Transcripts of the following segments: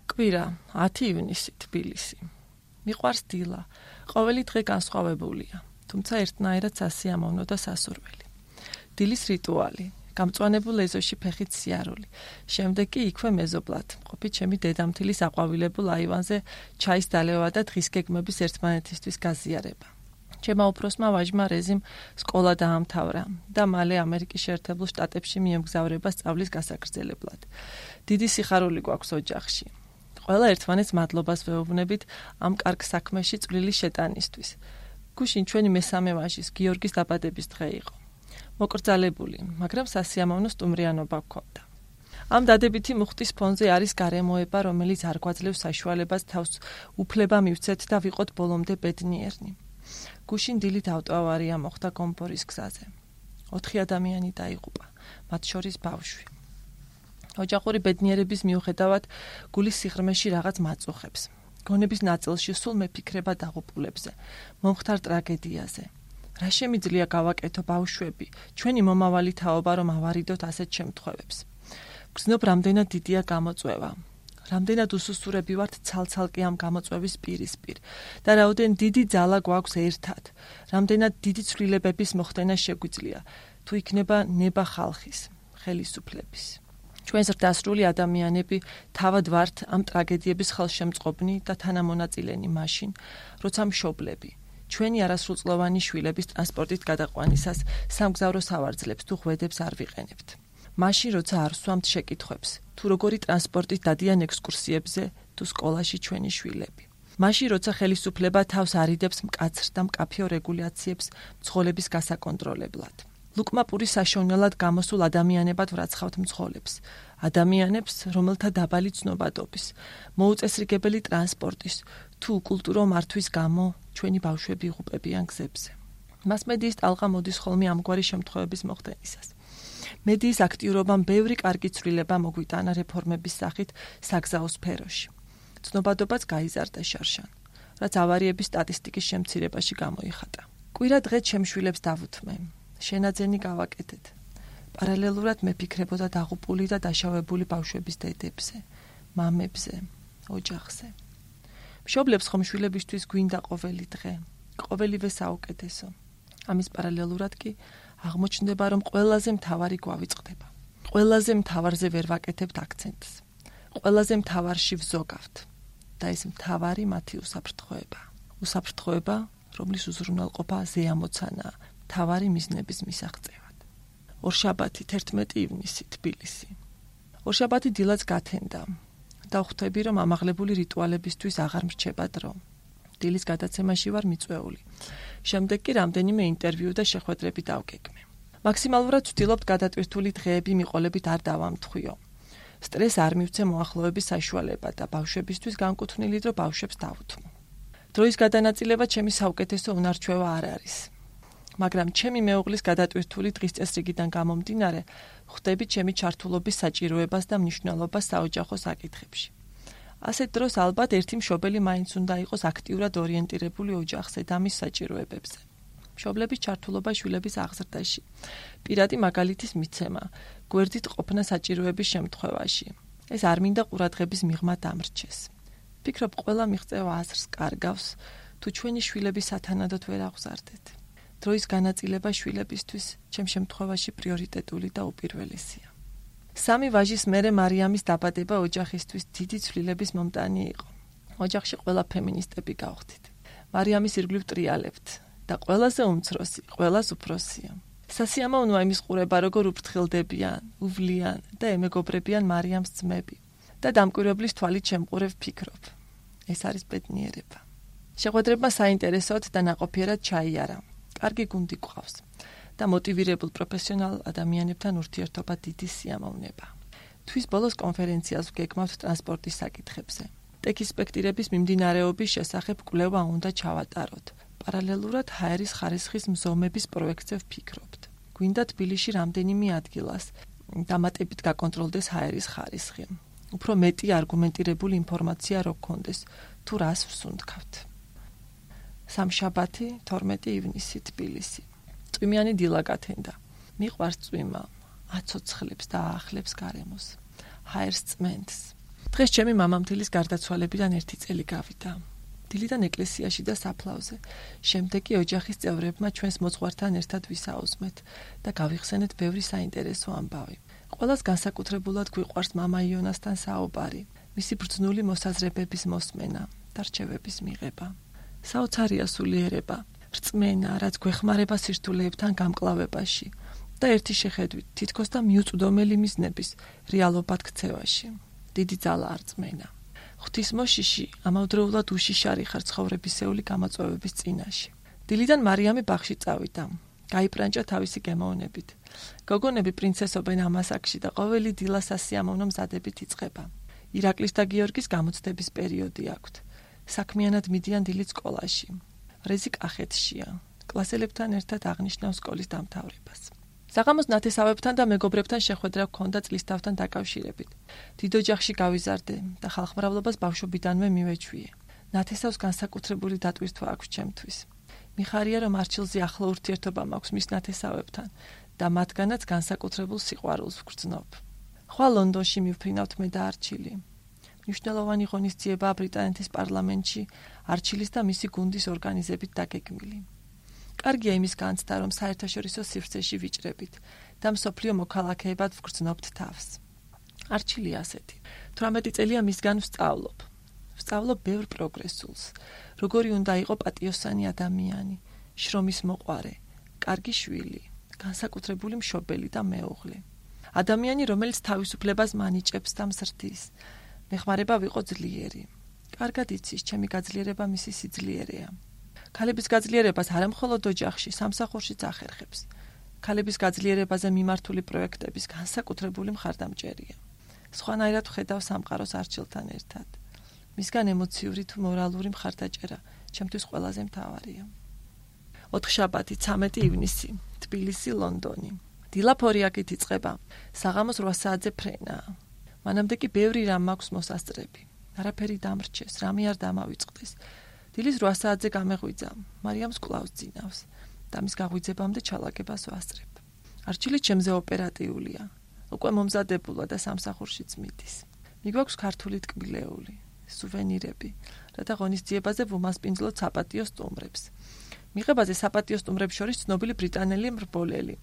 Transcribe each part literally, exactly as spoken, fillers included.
კვირა, ათი ივნისი, თბილისი. მიყვარს დილა. ყოველი დღე განსხვავებულია, თუმცა ერთნაირად სასიამოვნო და სასურველი. დილის რიტუალი, გამწვანებულ ეზოში ფეხით სიარული. შემდეგ კი იქვე მეზობლად, მყოფი ჩემი დედამთილის აყვავილებულ აივანზე ჩაის დალევა და დღის გეგმების ერთმანეთისთვის გაზიარება. ჩემმა უფროსმა ვაჟმა რეზიმ სკოლა დაამთავრა და მალე ამერიკის შეერთებულ შტატებში მიემგზავრება სწავლის გასაგრძელებლად. დიდი სიხარული გვაქვს ოჯახში. ყველა ერთმანეთს მადლობას ვეუბნებით ამ კარგ საქმეში წვლილი შეტანისთვის. გუშინ ჩვენი მესამე ვაჟის გიორგის დაბადების დღე იყო. მოკრძალებული, მაგრამ სასიამოვნო სტუმრიანობა გქონდა. ამ დადებითი მუხტის ფონზე არის გარემოება, რომელიც არ გვაძლევს საშუალებას თავს უფლება მივცეთ და ვიყოთ ბოლომდე ბედნიერნი. გუშინ დილით ავტოავარია მოხდა გომბორის გზაზე. ოთხი ადამიანი დაიღუპა, მათ შორის ბავშვი. ოჯახური ბედნიერების მიუხედავად, გულის სიღრმეში რაღაც მაწუხებს. გონების ნაწილში სულ მეფიქრება დაღუპულებზე, მომხდარ ტრაგედიაზე. რა შემიძლია გავაკეთო ბავშვები, ჩვენი მომავალი თაობა რომ ავარიდოთ ასეთ შემთხვევებს. გრძნობ რამდენად დიდია გამოწვევა. რამდენად უსუსურები ვართ ცალ-ცალკე ამ გამოწვევის პირისპირ და რაოდენ დიდი ძალა გვაქვს ერთად. რამდენად დიდი ცვლილებების მოხდენა შეგვიძლია, თუ იქნება ნება ხალხის, ხელისუფლების. ჩვენ ზრდასრული ადამიანები თავად ვართ ამ ტრაგედიების ხელშემწყობნი და თანამონაწილენი მაშინ, როცა მშობლები ჩვენი არასრულწლოვანი შვილების ტრანსპორტით გადაყვანისას სამგზავრო სავარძლებს თუ ღვედებს არ ვიყენებთ. მაშინ, როცა არ ვსვამთ შეკითხვებს, თუ როგორი ტრანსპორტით დადიან ექსკურსიებზე თუ სკოლაში ჩვენი შვილები. მაშინ, როცა ხელისუფლება თავს არიდებს მკაცრ და მკაფიო რეგულაციებს მძღოლების გასაკონტროლებლად. ლუკმა პურის საშოვნელად გამოსულ ადამიანებად ვრაცხავთ მძღოლებს. ადამიანებს, რომელთა დაბალი ცნობადობის, მოუწესრიგებელი ტრანსპორტის თუ კულტურო მართვის გამო ჩვენი ბავშვები იღუპებიან გზებზე. მასმედიის ტალღა მოდის ხოლმე ამგვარი შემთხვევების მოხდენისას. მედიის აქტიურობამ ბევრი კარგი ცვლილება მოგვიტანა რეფორმების სახით საგზაო სფეროში. ცნობადობაც გაიზარდა შარშან, რაც ავარიების სტატისტიკის შემცირებაში გამოიხატა. კვირა დღე ჩემშვილებს დავუთმე. შენაძენი გავაკეთეთ. პარალელურად მეფიქრებოდა დაღუპული და დაშავებული ბავშვების დედებზე, მამებზე, ოჯახზე. მშობლებს ხომ შვილებისთვის გვინდა ყოველი დღე, ყოველივე საუკეთესო. ამის პარალელურად კი აღმოჩნდება, რომ ყველაზე მთავარი გვავიწყდება. ყველაზე მთავარზე ვერ ვაკეთებთ აქცენტს. ყველაზე მთავარში ვზოგავთ და ეს მთავარი მათი უსაფრთხოება. უსაფრთხოება, რომლის უზრუნველყოფა ზეამოცანაა მთავარი მიზნების მისაღწევად. ორშაბათი, თერთმეტი ივნისი, თბილისი. ორშაბათი დილაც გათენდა და ხვდები, რომ ამაღლებული რიტუალებისთვის აღარ მრჩება დრო. დილის გადაცემაში ვარ მიწვეული. შემდეგ კი რამდენიმე ინტერვიუ და შეხვედრები დავგეგმე. მაქსიმალურად ვცდილობთ გადატვირთული დღეები მიყოლებით არ დავამთხვიო. სტრეს არ მივცე მოახლოების საშუალება და ბავშვებისთვის განკუთვნილი დრო ბავშვებს დავუთმო. დროის გადანაწილება ჩემი საუკეთესო უნარჩვევა არ არის. მაგრამ ჩემი მეუღლის გადატვირთული დღის წესრიგიდან გამომდინარე, ხვდები ჩემი ჩართულობის საჭიროებას და მნიშვნელობას საოჯახო საკითხებში. ასეთ დროს ალბათ ერთი მშობელი მაინც უნდა იყოს აქტიურად ორიენტირებული ოჯახზე და მის საჭიროებებზე. მშობლების ჩართულობა შვილების აღზრდაში, პირადი მაგალითის მიცემა, გვერდით ყოფნა საჭიროების შემთხვევაში. ეს არ მინდა ყურადღების მიღმა დამრჩეს. ფიქრობ, ყველა მიღწევა აზრს კარგავს, თუ ჩვენი შვილები სათანადოდ ვერ აღზარდეთ. დროის განაწილება შვილებისთვის ჩემ შემთხვევაში პრიორიტეტული და უპირველესია. სამი ვაჟის მერე მარიამის დაბადება ოჯახისთვის დიდი ცვლილების მომტანი იყო. ოჯახში ყველა ფემინისტები გავხდით. მარიამის ირგვლივ ტრიალებთ და ყველაზე უმცროსი, ყველას უფროსია. სასიამოვნოა იმის ყურება, როგორ უფრთხილდებიან, უვლიან და ემეგობრებიან მარიამს ძმები და დამკვირვებლის თვალით შემყურებ ფიქრობ. ეს არის ბედნიერება. შეხვედრებმა საინტერესოდ და ნაყოფიერად ჩაიარა. კარგი გუნდი გვყავს და მოტივირებულ პროფესიონალ ადამიანებთან ურთიერთობა დიდი სიამოვნება. თვის ბოლოს კონფერენციას ვგეგმავთ ტრანსპორტის საკითხებზე. ტექის სპექტირების მიმდინარეობის შესახებ კვლევა უნდა ჩავატაროთ. პარალელურად ჰაერის ხარისხის მზომების პროექტზე ვფიქრობთ. გვინდა თბილისში რამდენიმე ადგილას დამატებით გაკონტროლდეს ჰაერის ხარისხი. უფრო მეტი არგუმენტირებული ინფორმაცია რო გქონდეს, თუ რას ვსუნთქავთ. სამშაბათი, თორმეტი ივნისი, თბილისი. წვიმიანი დილა გათენდა. მიყვარს წვიმა, აცოცხლებს და აახლებს გარემოს. ჰაერს წმენდს. დღეს ჩემი მამამთილის გარდაცვალებიდან ერთი წელი გავიდა. დილიდან ეკლესიაში და საფლავზე. შემდეგ კი ოჯახის წევრებმა ჩვენს მოძღვართან ერთად ვისაუზმეთ და გავიხსენეთ ბევრი საინტერესო ამბავი. ყველას განსაკუთრებულად გვიყვარს მამა იონასთან საუბარი, მისი ბრძნული მოსაზრებების მოსმენა და რჩევების მიღება. საოცარია სულიერება, რწმენა, რაც გვეხმარება სირთულეებთან გამკლავებაში და ერთი შეხედვით თითქოს და მიუწვდომელი მიზნების რეალობად ქცევაში. დიდი ძალა რწმენა. ღვთისმოშიში ამავდროულად უშიშარი ხარ ცხოვრებისეული გამოწვევების წინაშე. დილიდან მარიამი ბაღში წავიდა. გაიპრანჭა თავისი გემოვნებით. გოგონები პრინცესობენ ამას აქში და ყოველი დილა სასიამოვნო მზადებით იწყება. ირაკლის და გიორგის გამოცდების პერიოდი აქვთ. საქმიანად მიდიან დილით სკოლაში. რეზი კახეთშია. კლასელებთან ერთად აღნიშნავს სკოლის დამთავრებას. საღამოს ნათესავებთან და მეგობრებთან შეხვედრა გქონდა წლისთავთან დაკავშირებით. დიდ ოჯახში გავიზარდე და ხალხმრავლობას ბავშვობიდანვე მივეჩვიე. ნათესავს განსაკუთრებული დატვირთვა აქვს ჩემთვის. მიხარია, რომ არჩილზე ახლო ურთიერთობა მაქვს მის ნათესავებთან და მათგანაც განსაკუთრებულ სიყვარულს ვგრძნობ. ხვალ ლონდონში მივფრინავთ მე და არჩილი. მნიშვნელოვანი ღონისძიებაა ბრიტანეთის პარლამენტში არჩილის და მისი გუნდის ორგანიზებით დაგეგმილი. კარგია იმის განცდა, რომ საერთაშორისო სივრცეში ვიჭრებით და მსოფლიო მოქალაქეებად ვგრძნობთ თავს. არჩილი ასეთი. თვრამეტი წელია მისგან ვსწავლობ. ვსწავლობ ბევრ პროგრესულს. როგორი უნდა იყო პატიოსანი ადამიანი, შრომის მოყვარე, კარგი შვილი, განსაკუთრებული მშობელი და მეუღლე. ადამიანი, რომელიც თავისუფლებას მანიჭებს და მსრდის. მეხმარება ვიყო ძლიერი. კარგად იცის, ჩემი გაძლიერება მისი სიძლიერეა. ქალების გაძლიერებას არამხოლოდ ოჯახში, სამსახურშიც ახერხებს. ქალების გაძლიერებაზე მიმართული პროექტების განსაკუთრებული მხარდამჭერია. სხვანაირად ვხედავ სამყაროს არჩილთან ერთად. მისგან ემოციური თუ მორალური მხარდაჭერა ჩემთვის ყველაზე მთავარია. ოთხშაბათი, ცამეტი ივნისი, თბილისი, ლონდონი. დილა ფორიაკით იწყება. საღამოს რვა საათზე ფრენაა. მანამდე კი ბევრი რამ მაქვს მოსასწრები. არაფერი დამრჩეს, რამე არ დამავიწყდეს. დილის რვა საათზე გამეღვიძა, მარიამს კლავს ძინავს და მის გაღვიძებამდე ჩალაგებას ვასწრებ. არჩილი ჩემზე ოპერატიულია. უკვე მომზადებულა და სამსახურშიც მიდის. მიგვაქვს ქართული ტკბილეული, სუვენირები, რათა ღონისძიებაზე ვუმასპინძლოთ საპატიო სტუმრებს. მიღებაზე საპატიო სტუმრებს შორის ცნობილი ბრიტანელი მრბოლელი,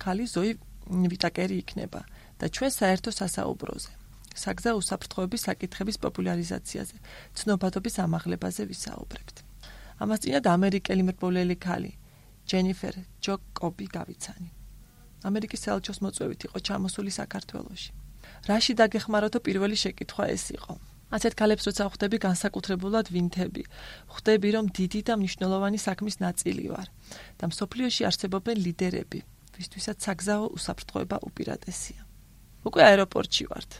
ქალი ზოი ვიტაკერი იქნება და ჩვენ საერთო სასაუბროზე. საგზა უსაფრთხოების საკითხების პოპულარიზაციაზე, ცნობადობის ამაღლებაზე ვისაუბრებთ. ამას წინათ ამერიკელი მრბოლელი ქალი, ჯენიფერ ჯოკობი გავიცანი. ამერიკის საელჩოს მოწვევით იყო ჩამოსული საქართველოში. რაში დაგეხმაროთო პირველი შეკითხვა ეს იყო. ასეთ ქალებს როცა ხვდები განსაკუთრებულად ვინთები, ხვდები რომ დიდი და მნიშვნელოვანი საქმის ნაწილი ვარ და მსოფლიოში არსებობენ ლიდერები, ვისთვისაც საგზაო უსაფრთხოება უპირატესია. უკვე აეროპორტში ვართ.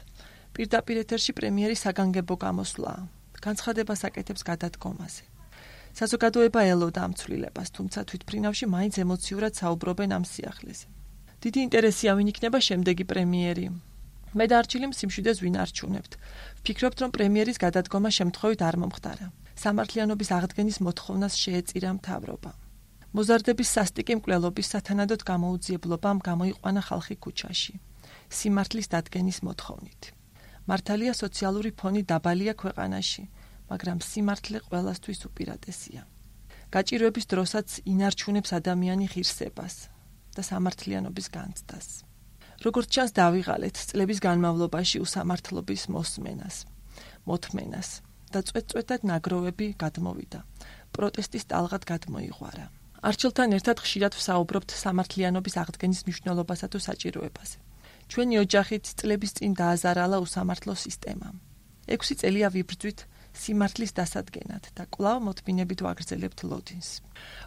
პირდაპირ ეთერში პრემიერი საგანგებო გამოსვლაა. განცხადებას აკეთებს გადადგომაზე. საზოგადოება ელოდა ამ ცვლილებას, თუმცა თვითფრინავში მაინც ემოციურად საუბრობენ ამ სიახლეზე. დიდი ინტერესია ვინ იქნება შემდეგი პრემიერი. მე და არჩილი სიმშვიდეს ვინ არჩუნებთ. ვფიქრობთ, რომ პრემიერის გადადგომა შემთხვევით არ მომხდარა. სამართლიანობის აღდგენის მოთხოვნას შეეწირა მთავრობა. მოზარდების სასტიკი მკვლელობის სათანადოდ გამოუძიებლობამ გამოიყვანა ხალხი ქუჩაში. სიმართლის დადგენის მოთხოვნით. მართალია სოციალური ფონი დაბალია ქვეყანაში, მაგრამ სიმართლე ყველასთვის უპირატესია. გაჭირვების დროსაც ინარჩუნებს ადამიანი ღირსებას და სამართლიანობის განცდას. როგორც ჩანს დავიღალეთ წლების განმავლობაში უსამართლობის მოსმენას, მოთმენას და წვეტ-წვეტად ნაგროვები გადმოვიდა. პროტესტის ტალღად გადმოიღვარა. არჩილთან ერთად ხშირად ვსაუბრობთ სამართლიანობის აღდგენის მნიშვნელობასა თუ საჭიროებაზე. ჩვენი ოჯახით წლების წინ დააზარალა უსამართლო სისტემამ. ექვსი წელია ვიბრძვით სიმართლის დასადგენად და კვლავ მოთმინებით ვაგრძელებთ ლოდინს.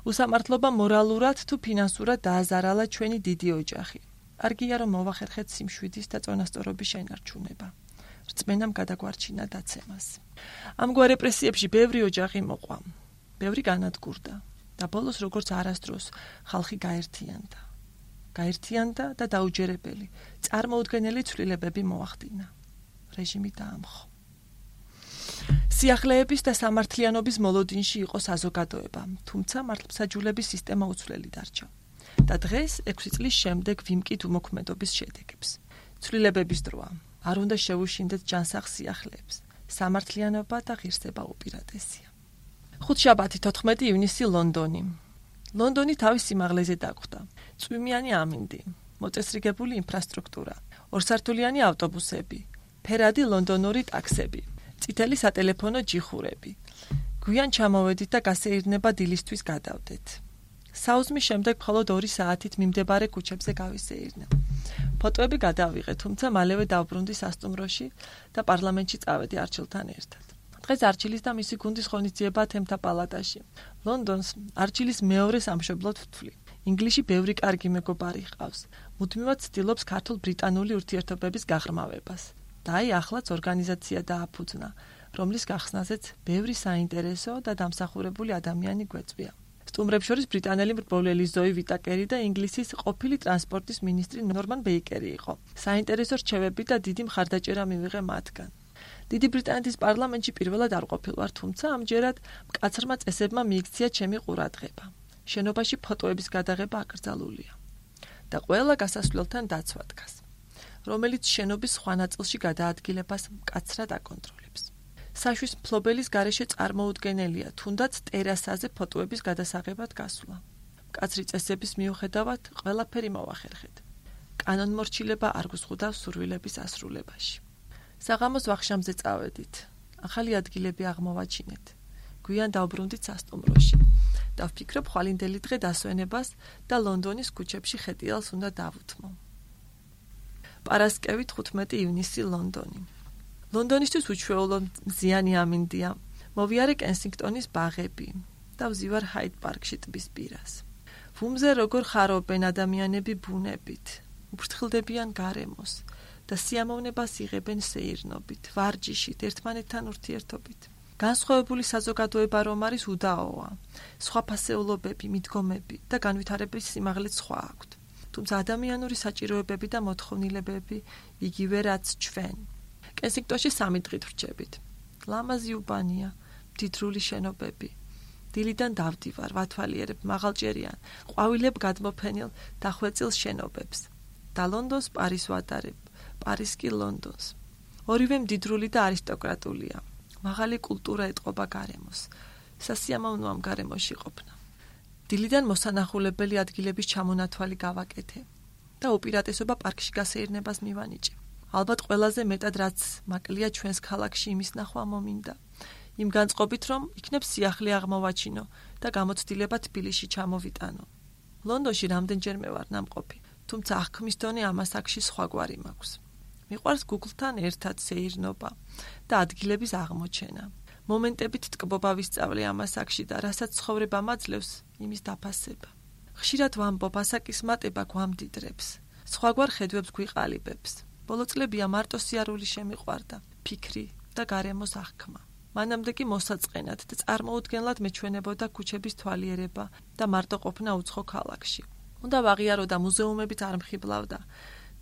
უსამართლობა მორალურად თუ ფინანსურად დააზარალა ჩვენი დიდი ოჯახი. კარგია რომ მოვახერხეთ სიმშვიდის და წონასწორობის შენარჩუნება. რწმენამ გადაგვარჩინა დაცემას. ამგვარ რეპრესიებში ბევრი ოჯახი მოყვა, ბევრი განადგურდა და ბოლოს როგორც არასდროს ხალხი გაერთიანდა. გაერთიანდა და დაუჯერებელი, წარმოუდგენელი ცვლილებები მოახდინა. რეჟიმი დაამხო. სიახლეების და სამართლიანობის მოლოდინში იყო საზოგადოება, თუმცა მართლმსაჯულების სისტემა უცვლელი დარჩა. და დღეს ექვსი წლის შემდეგ ვიმკით უმოქმედობის შედეგებს. ცვლილებების დროა. არ უნდა შევუშინდეთ ჯანსაღ სიახლეებს. სამართლიანობა და ღირსება უპირატესია. ხუთშაბათი თოთხმეტი ივნისი ლონდონი. ლონდონი თავის სიმაღლეზე დაგვხდა. წვიმიანი ამინდი, მოწესრიგებული ინფრასტრუქტურა, ორსართულიანი ავტობუსები, ფერადი ლონდონური ტაქსები, წითელი სატელეფონო ჯიხურები. გვიან ჩამოვედით და გასეირნება დილისთვის გადავდეთ. საუზმის შემდეგ მხოლოდ ორი საათით მიმდებარე ქუჩებზე გავისეირნე. ფოტოები გადავიღე, თუმცა მალევე დავბრუნდი სასტუმროში და პარლამენტში წავედი არჩილთან ერთად. დღეს არჩილის და მისი გუნდის ღონისძიება თემთა პალატაში. ლონდონს არჩილის მეორე სამშობლოდ ვთვლი. ინგლისში ბევრი კარგი მეგობარი ჰყავს. მუდმივად ცდილობს ქართულ-ბრიტანული ურთიერთობების გაღრმავებას. და აი ახლაც ორგანიზაცია დააფუძნა, რომლის გახსნაზეც ბევრი საინტერესო და დამსახურებული ადამიანი გვეწვია. სტუმრებს შორის ბრიტანელი მრბოლელი ზოი ვიტაკერი და ინგლისის ყოფილი ტრანსპორტის მინისტრი ნორმან ბეიკერი იყო. საინტერესო რჩევები და დიდი მხარდაჭერა მივიღე მათგან. დიდი ბრიტანეთის პარლამენტში პირველად არ ყოფილვარ, თუმცა ამჯერად მკაცრმა წესებმა მიიქცია ჩემი ყურადღება. შენობაში ფოტოების გადაღება აკრძალულია და ყველა გასასვლელთან დაცვა დგას, რომელიც შენობის სხვა ნაწილში გადაადგილებას მკაცრად აკონტროლებს. საშვის მფლობელის გარეშე წარმოუდგენელია, თუნდაც ტერასაზე ფოტოების გადასაღებად გასვლა. მკაცრი წესების მიუხედავად ყველაფერი მოვახერხეთ. კანონმორჩილება არ გუსხუდავს სურვილების ასრულებაში. საღამოს ვახშამზე წავედით. ახალი ადგილები აღმოვაჩინეთ. გვიან დავბრუნდით სასტუმროში. და ვფიქრობ ხვალინდელი დღე დასვენებას და ლონდონის ქუჩებში ხეტიალს უნდა დავუთმო. პარასკევი თხუთმეტი ივნისი ლონდონი. ლონდონისთვის უჩვეულო მზიანი ამინდია. მოვიარე კენსინგტონის ბაღები და ვზივარ ჰაიდ პარკში ტბის პირას. ვუმზე როგორ ხარობენ ადამიანები ბუნებით, უფრთხილდებიან გარემოს და სიამოვნებას იღებენ სეირნობით, ვარჯიშით, ერთმანეთთან ურთიერთობით. განსხვავებული საზოგადოება რომ არის უდაოა. სხვა ფასეულობები, მიდგომები და განვითარების სიმაღლეც სხვა აქვთ. თუმცა ადამიანური საჭიროებები და მოთხოვნილებები იგივე რაც ჩვენ. კენსინგტონში სამი დღით ვრჩებით. ლამაზი უბანია, მდიდრული შენობები. დილიდან დავდივარ, ვათვალიერებ მაღალჭერიან, ყვავილებ გადმოფენილ დახვეწილ შენობებს. და ლონდონს პარის ვატარებ, პარის კი ლონდონს. ორივე მდიდრული და არისტოკრატულია. მაღალი კულტურა ეტყობა გარემოს. სასიამოვნოა ამ გარემოში ყოფნა. დილიდან მოსანახულებელი ადგილების ჩამონათვალი გავაკეთე და უპირატესობა პარკში გასეირნებას მივანიჭე. ალბათ ყველაზე მეტად რაც მაკლია ჩვენს ქალაქში იმის ნახვა მომინდა. იმ განწყობით რომ იქნებ სიახლე აღმოვაჩინო და გამოცდილება თბილისში ჩამოვიტანო. ლონდონში რამდენჯერმე ვარ ნამყოფი, თუმცა აღქმის დონე ამას აქში სხვაგვარი მაქვს. მიყვარს Google-თან ერთად სეირნობა და ადგილების აღმოჩენა. მომენტებით ტკბობა ვისწავლე ამას აქში და რასაც ცხოვრება მაძლევს, იმის დაფასება. ხშირად ვამბობ, ასაკის მატება გვამდიდრებს, სხვაგვარ ხედვებს გვიყალიბებს. ბოლო წლებია მარტო სიარული შემიყვარდა, ფიქრი და გარემოს აღქმა. მანამდე კი მოსაწყენად და წარმოუდგენლად მეჩვენებოდა ქუჩების თვალიერება და მარტო ყოფნა უცხო ქალაქში. უნდა ვაღიარო და მუზეუმებით არ მხიბლავდა.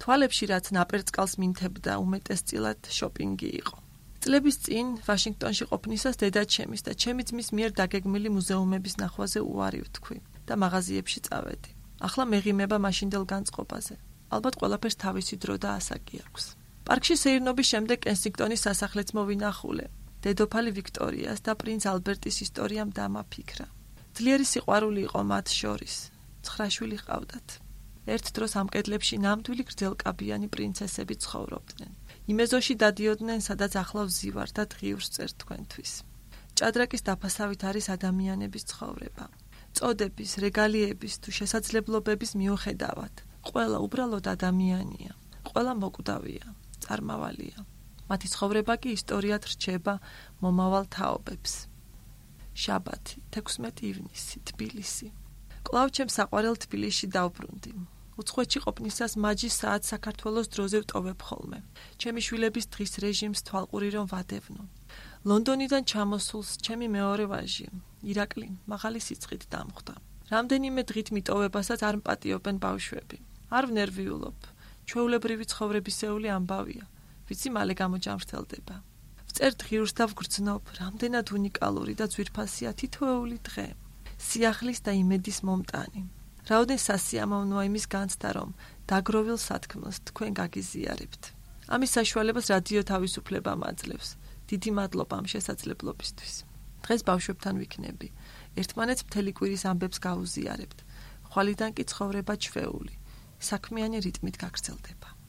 თვალებში რაც ნაპერწკალს მინთებდა, უმეტესწილად შოპინგი იყო. წლების წინ ვაშინგტონში ყოფნისას დედაჩემის და ჩემი ძმის მიერ დაგეგმილი მუზეუმების ნახვაზე უარი ვთქვი და მაღაზიებში წავედი. ახლა მეღიმება მაშინდელ განწყობაზე. ალბათ ყველაფერს თავისი დრო და ასაკი აქვს. პარკში სეირნობის შემდეგ კენსინგტონის სასახლეც მოვინახულე. დედოფალი ვიქტორიას და პრინც ალბერტის ისტორიამ დამაფიქრა. ძლიერი სიყვარული იყო მათ შორის. ცხრა შვილი ჰყავდათ. ერთ დროს ამ კედლებში ნამდვილი გრძელკაბიანი პრინცესები ცხოვრობდნენ. იმ ეზოში დადიოდნენ, სადაც ახლა ვზივარ და დღიურს წერ თქვენთვის. ჭადრაკის დაფასავით არის ადამიანების ცხოვრება. წოდების, რეგალიების თუ შესაძლებლობების მიუხედავად, ყველა უბრალოდ ადამიანია, ყველა მოკვდავია, წარმავალია. მათი ცხოვრება კი ისტორიად რჩება მომავალ თაობებს. შაბათი, თექვსმეტი ივნისი, თბილისი. კვლავ ჩემ საყვარელ თბილისში დავბრუნდი. უცხოეთში ყოფნისას მაჯი საათს საქართველოს დროზე ვტოვებ ხოლმე. ჩემი შვილების დღის რეჟიმს თვალყური რომ ვადევნო. ლონდონიდან ჩამოსულს ჩემი მეორე ვაჟი, ირაკლი, მაღალი სიცხით დამხვდა. რამდენიმე დღით მიტოვებასაც არ მპატიობენ ბავშვები. არ ვნერვიულობ. ჩვეულებრივი ცხოვრებისეული ამბავია, ვიცი მალე გამოჯამრთელდება. ვწერ დღიურს და ვგრძნობ, რამდენად უნიკალური და ძვირფასია თითოეული დღე. სიახლის და იმედის მომტანი. რაოდენ სასიამოვნოა იმის განცდა, რომ დაგროვილ სათქმელს თქვენ გაგიზიარებთ. ამის საშუალებას რადიო თავისუფლება მაძლევს. დიდი მადლობა ამ შესაძლებლობისთვის. დღეს ბავშვებთან ვიქნები. ერთმანეთს მთელი კვირის ამბებს გავუზიარებთ. ხვალიდან კი ცხოვრება ჩვეული. საქმიანი რიტმით გაგრძელდება.